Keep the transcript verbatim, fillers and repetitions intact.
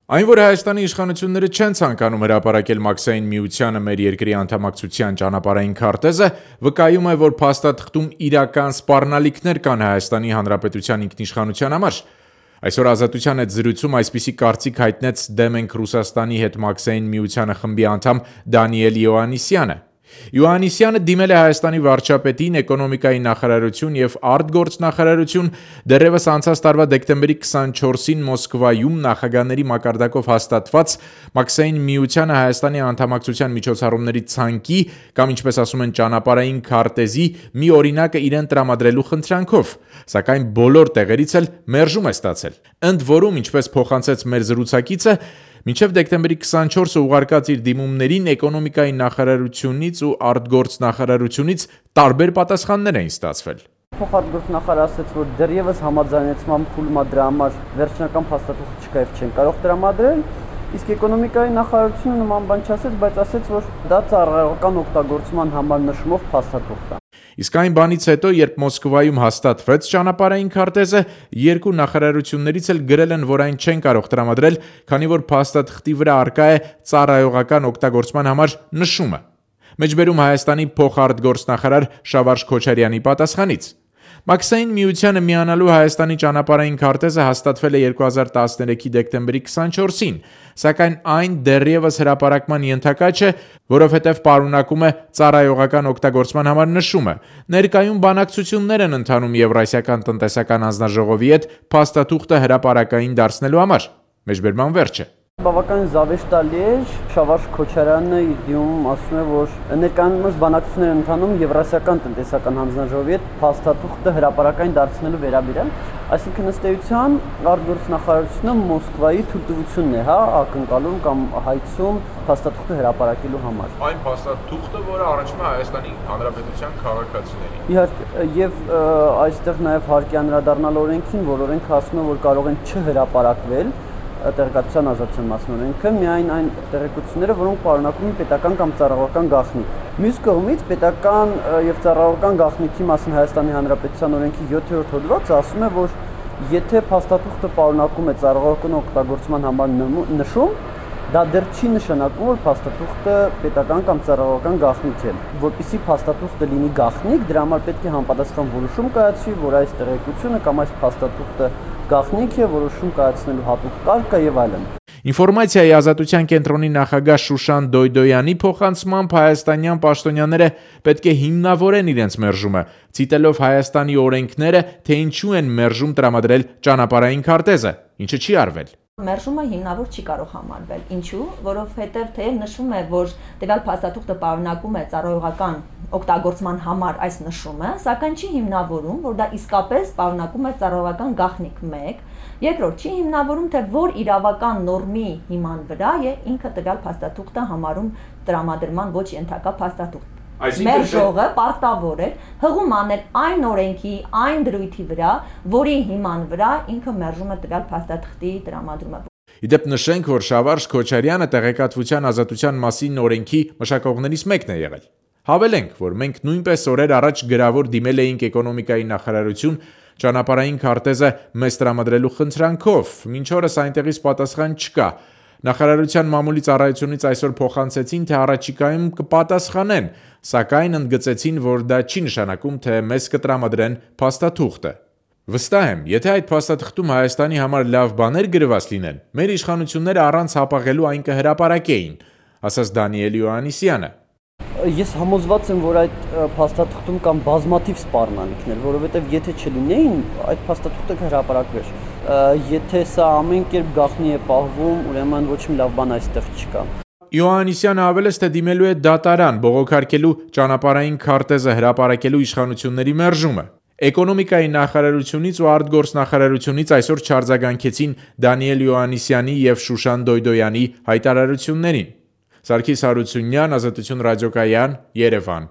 Այն, որ Հայաստանի իշխանությունները չեն ցանկանում հրապարակել Մաքսային միությանը մեր երկրի անդամակցության ճանապարհային քարտեզը, վկայում է, որ փաստաթղթում իրական սպառնալիքներ կան Հայաստանի Հանրապետության ինքնիշխանության համար։ Այսօր Ազատության հետ զրույցում այսպիսի կարծիք հայտնեց «Դեմ ենք Ռուսաստանի հետ Մաքսային միությանը» խմբի անդամ Դանիել Իոաննիսյանը։ Իոաննիսյանը դիմել է Հայաստանի վարչապետին, էկոնոմիկայի նախարարություն և արտգործնախարարություն դեռևս անցած տարվա դեկտեմբերի քսանչորսին Մոսկվայում նախագահների մակարդակով հաստատված Մաքսային միությանը Հայաստանի անդամակցության միջոցառումների ցանկի կամ ինչպես ասում են ճանապարհային քարտեզի մի օրինակը իրեն տրամադրելու խնդրանքով, սակայն բոլոր տեղերից էլ մերժում է ստացել։ Ընդ որում, ինչպես փոխանցեց մեր զրուցակիցը, մինչև դեկտեմբերի քսանչորսը ուղարկած իր դիմումներին էկոնոմիկայի նախարարությունից ու արտգործնախարարությունից տարբեր պատասխաններ էին ստացվել։ Փոխարտգործնախարարը ասաց, որ դեռևս համաձայնեցման փուլում դրա համար վերջնական փաստաթուղթ չկա եւ չեն կարող տրամադրել, իսկ էկոնոմիկայի նախարարությունը նման բան չասեց, բայց ասաց, որ դա ծառայողական օգտագործման համար նշումով փաստաթուղթ է։ Իսկ այն բանից հետո, երբ Մոսկվայում հաստատվեց ճանապարհային քարտեզը, երկու նախարարություններից էլ գրել են, որ այն չեն կարող տրամադրել, քանի որ փաստաթղթի վրա առկա է ծառայողական օգտագործման համար նշումը։ Մեջբերում Հայաստանի փոխարտգործնախարար Շավարժ Քոչարյանի պատասխանից։ Մաքսային միությանը միանալու Հայաստանի ճանապարհային քարտեզը հաստատվել է երկու հազար տասներեքի դեկտեմբերի քսանչորսին, սակայն այն դեռևս հրապարակման ենթակա չէ, որովհետև պարունակում է ծառայողական օգտագործման համար նշումը։ Ներկայում բանակցություններ են ընթանում Եվրասիական տնտեսական հանձնաժողովի հետ փաստաթուղթը հրապարակային դարձնելու համար։ Մեջբերման վերջը։ Բավականին զավեշտալի է, Շավարժ Քոչարյանը իր դիմումում ասում է, որ ներկայումս բանակցություններ են ընթանում Եվրասիական տնտեսական հանձնաժողովի հետ փաստաթուղթը հրապարակային դարձնելու վերաբերյալ, այսինքն ըստ էության արտգործնախարարությունը Մոսկվայի թույլտվությունն է, հա, ակնկալում կամ հայցում փաստաթուղթը հրապարակելու համար։ Այն փաստաթուղթը, որը առնչվում է Հայաստանի Հանրապետության քաղաքացիներին։ Իհարկե, եւ այստեղ նաեւ հարկ է անդրադառնալ օրենքին, որ օրենքը ասում է, որ կարող են չհրապարակվել տեղեկատվության ազատության մասին օրենքը միայն այն տեղեկությունները, որոնք պարունակում են պետական կամ ծառայողական գաղտնիք։ Մյուս կողմից պետական եւ ծառայողական գաղտնիքի մասին Հայաստանի Հանրապետության օրենքի յոթերորդ հոդվածը ասում է, որ եթե փաստաթուղթը պարունակում է ծառայողական օգտագործման համար նշում, դա դեռ չի նշանակում, որ փաստաթուղթը պետական կամ ծառայողական գաղտնիք է։ Որպեսզի փաստաթուղթը լինի գաղտնիք, դրա համար պետք է համապատասխան որոշում կայացվի, որ այս տեղեկությունը կամ այս փաստաթուղթը գաղտնիք է, որոշում կայացնելու հատուկ կարգ կա եւ այլն։ Ինֆորմացիայի ազատության կենտրոնի նախագահ Շուշան Դոյդոյանի փոխանցմամբ հայաստանյան պաշտոնյաները պետք է հիմնավորեն իրենց մերժումը, ցիտելով Հայաստանի օրենքները, թե ինչու են մերժում տրամադրել ճանապարհային քարտեզը, ինչը չի արվել։ Մերժումը հիմնավոր չի կարող համարվել։ Ինչու՞, որովհետև թեև նշվում է, որ տվյալ փաստաթուղթը պարունակում է ծառայողական օգտագործման համար այս նշումը, սակայն չի հիմնավորում, որ դա իսկապես պարունակում է ծառայողական գաղտնիք մեկ, երկրորդ չի հիմնավորում, թե որ իրավական նորմի հիման վրա է ինքը տվյալ փաստաթուղթը համարում տրամադրման ոչ ենթակա փաստաթուղթ։ Մեր ժողովը պարտավոր է հղում անել այն օրենքի, այն դրույթի վրա, որի հիման վրա ինքը մերժում է տվյալ փաստաթղթի տրամադրումը։ Իդեպ նշենք, որ Շավարժ Քոչարյանը տեղեկատվության ազատության մասին օրենքի մշակողներից մեկն է եղել։ Հավելենք, որ մենք նույնպես օրեր առաջ գրավոր դիմել էինք էկոնոմիկայի նախարարություն ճանապարհային քարտեզը մեզ տրամադրելու խնդրանքով, մինչ օրս այնտեղից պատասխան չկա։ Նախարարության մամուլի ծառայությունից այսօր փոխանցեցին, թե առաջիկայում կպատասխանեն, սակայն ընդգծեցին, որ դա չի նշանակում, թե մեզ կտրամադրեն փաստաթուղթը։ Վստահ եմ, եթե այդ փաստաթղթում Հայաստանի համար լավ բաներ գրված լինեն, մեր իշխանությունները առանց հապաղելու այն կհրապարակեին, ասաց Դանիել Իոաննիսյանը։ Ես համոզված եմ, որ այդ փաստաթղթում կան բազմաթիվ սպառնալիքներ, որովհետև եթե չլինեին, այդ փաստաթուղթը կհրապարակվեր։ Եթե սա ամեն կերպ գաղտնի է պահվում, ուրեմն ոչ մի լավ բան այստեղ չկա։ Իոաննիսյանը հավելեց, թե դիմելու է դատարան բողոքարկելու ճանապարհային քարտեզը հրապարակելու իշխանությունների մերժումը։ Էկոնոմիկայի նախարարությունից ու արտգործնախարարությունից այսօր չարձագանքեցին Դանիել Իոաննիսյանի եւ Շուշան Դոյդոյանի հայտարարություններին։ Սարգիս Հարությունյան, Ազատություն ռադիոկայան, Երևան։